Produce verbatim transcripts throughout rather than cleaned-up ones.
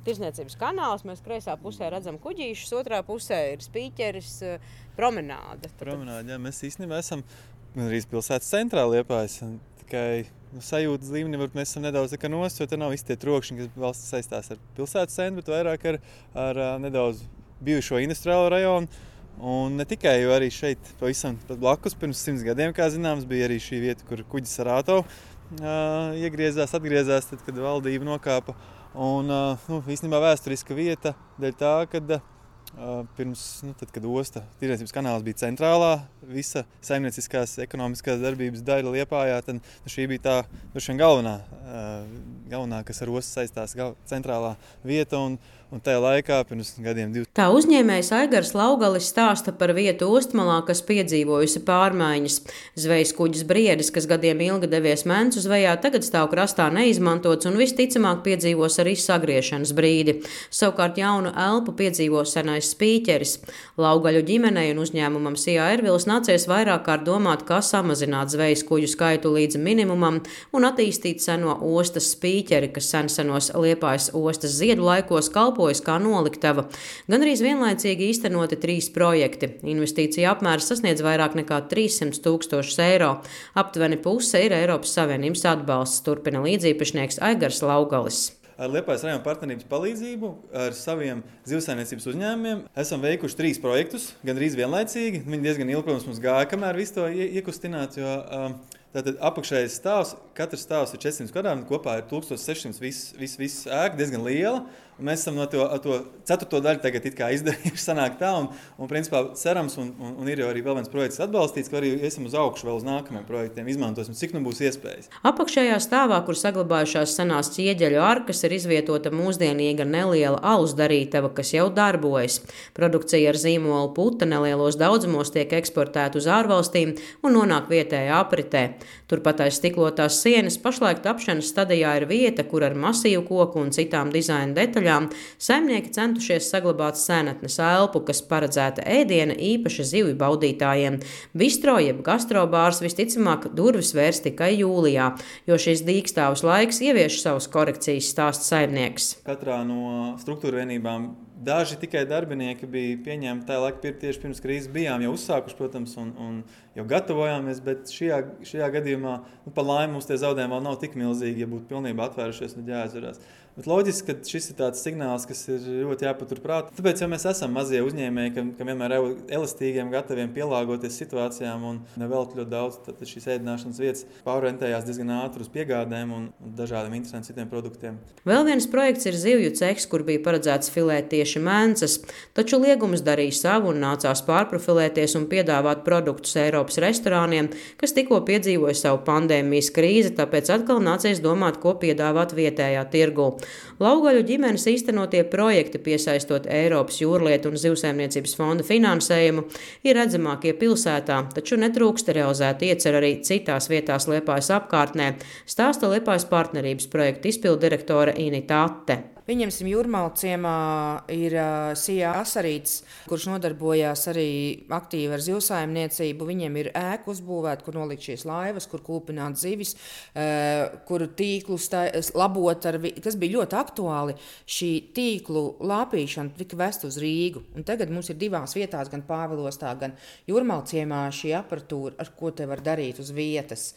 tirdzniecības kanāls. Mēs kreisā pusē redzam kuģīšus, otrā pusē ir spīķeris, promenāde. Promenāde, jā, mēs īstenībā esam arī pilsētas centrā Liepājas. Tikai nu, sajūtas līmenī varbūt mēs esam nedaudz tā kā nost, jo te nav visi tie trokšņi, kas valsts saistās ar pilsētas centru, bet vairāk ar, ar nedaudz bijušo industriālo rajonu. Un ne tikai, jo arī šeit pavisam blakus pirms simts gadiem, kā zināms, bija arī šī vieta, kur kuģis Sarāto uh, iegriezās, atgriezās, tad, kad valdība nokāpa. Un uh, nu, īstenībā vēsturiska vieta dēļ tā, kad uh, pirms, nu, tad, kad osta tirdzniecības kanāls bija centrālā, visa saimnieciskās ekonomiskās darbības daļa Liepājā, tad nu, šī bija tā droši vien galvenā, uh, galvenā, kas ar ostu saistās, gal, centrālā vieta. Un, Un tajā laikā, pirms gadiem divi. Tā uzņēmējs Aigars Laugalis stāsta par vietu Ostmalā, kas piedzīvojusi pārmaiņas. Zvejas kuģis Briedis, kas gadiem ilgi devies Mencu zvejā, tagad stāv krastā neizmantots un visticamāk piedzīvos arī sagriešanas brīdi. Savukārt jaunu elpu piedzīvo senais spīķeris. Laugaļu ģimenei un uzņēmumam Sijā Ervils nācies vairāk kārt domāt, kā samazināt zvejas kuģu skaitu līdz minimumam un attīstīt seno ostas spīķeri, kas sensenos Liepājas ostas ziedu laikos kalpo kā noliktava. Gan arī vienlaicīgi īstenoti trīs projekti. Investīcija apmērs sasniedz vairāk nekā trīssimt tūkstošus eiro. Aptuveni puse ir Eiropas Savienības atbalsts, turpina līdzīpašnieks Aigars Laugalis. Ar Liepājas rajona partnerības palīdzību, ar saviem zivsaimniecības uzņēmumiem esam veikuši trīs projektus, gandrīz vienlaicīgi. Viņi diezgan ilgi, protams, mums gāja, kamēr visu to iekustināt, jo um, tātad apakšējais stāvs, katrs stāvs ir četrsimt kvadrātmetru, kopā ir tūkstoš sešsimt viss vis, vis ēka, diezgan liela. Un mēs esam no to, to ceturto daļu tagad it kā izdarījuši sanāk tā, un, un principā cerams, un, un, un ir jau arī vēl viens projekts atbalstīts, ka arī esam uz augšu vēl uz nākamajiem projektiem, izmantosim, cik nu būs iespējas. Apakšējā stāvā, kur saglabājušās senās ķieģeļu arkas, ir izvietota mūsdienīga neliela alus darītava, kas jau darbojas. Produkcija ar zīmolu puta nelielos daudzumos tiek eksportēta uz ārvalstīm un nonāk vietējā apritē. Turpat aiz stiklotās sienas pašlaik tapšanas stadijā ir vieta, kur ar masīvu koku un citām dizaina detaļām saimnieki centušies saglabāt senatnes elpu, kas paredzēta ēdiena īpaši zivju baudītājiem. Bistro jeb gastrobārs visticamāk durvis vērs tikai jūlijā, jo šis dīkstāvs laiks ievieš savus korekcijas, stāsta saimnieks. Katrā no struktūra vienībām daži tikai darbinieki bija pieņemti tajā laikā, tieši pirms krīzes bijām jau uzsākuši, protams, un, un jau gatavojāmies, bet šajā, šajā gadījumā, nu, pa laimi mums tie zaudējumi vēl nav tik milzīgi, ja būtu pilnībā atvērušies, tad jāizvarās. Bet loģiski, ka šis ir tāds signāls, kas ir ļoti jāpaturprāt. Tāpēc, ja mēs esam mazie uzņēmēji, ka, ka vienmēr elastīgiem, gataviem pielāgoties situācijām un nevelk ļoti daudz, tad šīs ēdināšanas vietas pārorientējās diezgan ātri uz piegādēm un dažādiem interesantiem citiem produktiem. Vēl viens projekts ir zivju cehs, kur bija paredzēts filēt tieši mencas, taču liegums darīja savu un nācās pārprofilēties un piedāvāt produktus Eiropas restorāniem, kas tikko piedzīvoja savu pandēmijas krīzi, tāpēc atkal nācies domāt, ko piedāvāt vietējā tirgū. Laugaļu ģimenes īstenotie projekti, piesaistot Eiropas jūrlietu un zivsaimniecības fonda finansējumu, ir redzamākie pilsētā, taču netrūkst realizēt iecer arī citās vietās Liepājas apkārtnē, stāsta Liepājas partnerības projekta izpilddirektore Inita Atte. Pieņemsim, Jūrmāla ciemā ir uh, Sijā Asarīts, kurš nodarbojās arī aktīvi ar zivsaimniecību. Viņiem ir ēka uzbūvēta, kur nolikt šīs laivas, kur kūpināt zivis, uh, kur tīklu stā, labot, ar, kas bija ļoti aktuāli. Šī tīklu lāpīšana tika vest uz Rīgu. Un tagad mums ir divās vietās, gan Pāvilostā, gan Jūrmāla ciemā šī aparatūra, ar ko te var darīt uz vietas.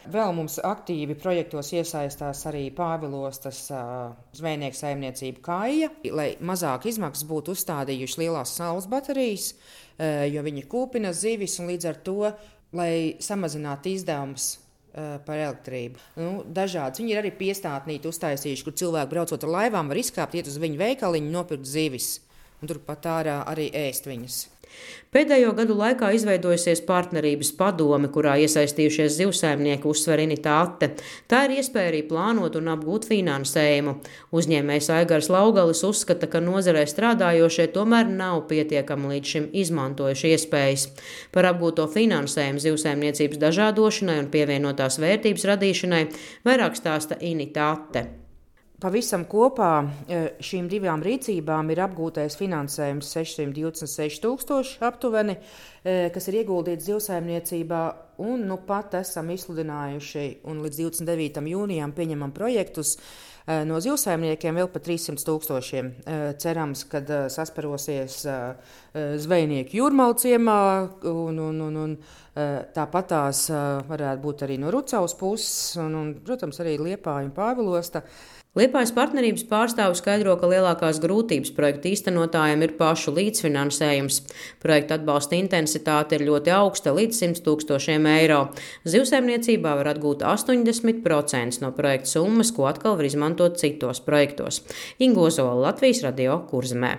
Vēl mums aktīvi projektos iesaistās arī Pāvilostas uh, zvejnieku saimniecība. Kaija, lai mazāk izmaksas būtu uzstādījuši lielās saules baterijas, jo viņi kūpina zivis un līdz ar to, lai samazinātu izdevumus par elektrību. Nu, dažādas. Viņi ir arī piestātnīti uztaisījuši, kur cilvēki braucot ar laivām var izkāpt, iet uz viņu veikaliņu, nopirkt zivis un turpat ārā arī ēst viņas. Pēdējo gadu laikā izveidojusies partnerības padome, kurā iesaistījušies zivsaimnieki, uzsver Inita Atte. Tā ir iespēja arī plānot un apgūt finansējumu. Uzņēmējs Aigars Laugalis uzskata, ka nozarē strādājošie tomēr nav pietiekami līdz šim izmantojuši iespējas. Par apgūto finansējumu zivsaimniecības dažādošanai un pievienotās vērtības radīšanai vairāk stāsta Inita Atte. Pavisam kopā šīm divām rīcībām ir apgūtais finansējums sešsimt divdesmit seši tūkstoši aptuveni, kas ir ieguldīts zivsaimniecībā, un nu pat esam izsludinājuši un līdz divdesmit devītam jūnijam pieņemam projektus no zivsaimniekiem vēl par trīssimt tūkstošiem. Cerams, ka sasparosies zvejnieki Jūrmalu ciemā un, un, un, un tāpat tās varētu būt arī no Rucavas puses un, un, protams, arī Liepāja un Pāvilosta. Liepājas partnerības pārstāvis skaidro, ka lielākās grūtības projekta īstenotājiem ir pašu līdzfinansējums. Projekta atbalsta intensitāte ir ļoti augsta, līdz simt tūkstošiem eiro. Zivsaimniecībā var atgūt astoņdesmit procenti no projekta summas, ko atkal var izmantot citos projektos. Inga Ozola, Latvijas radio Kurzemē.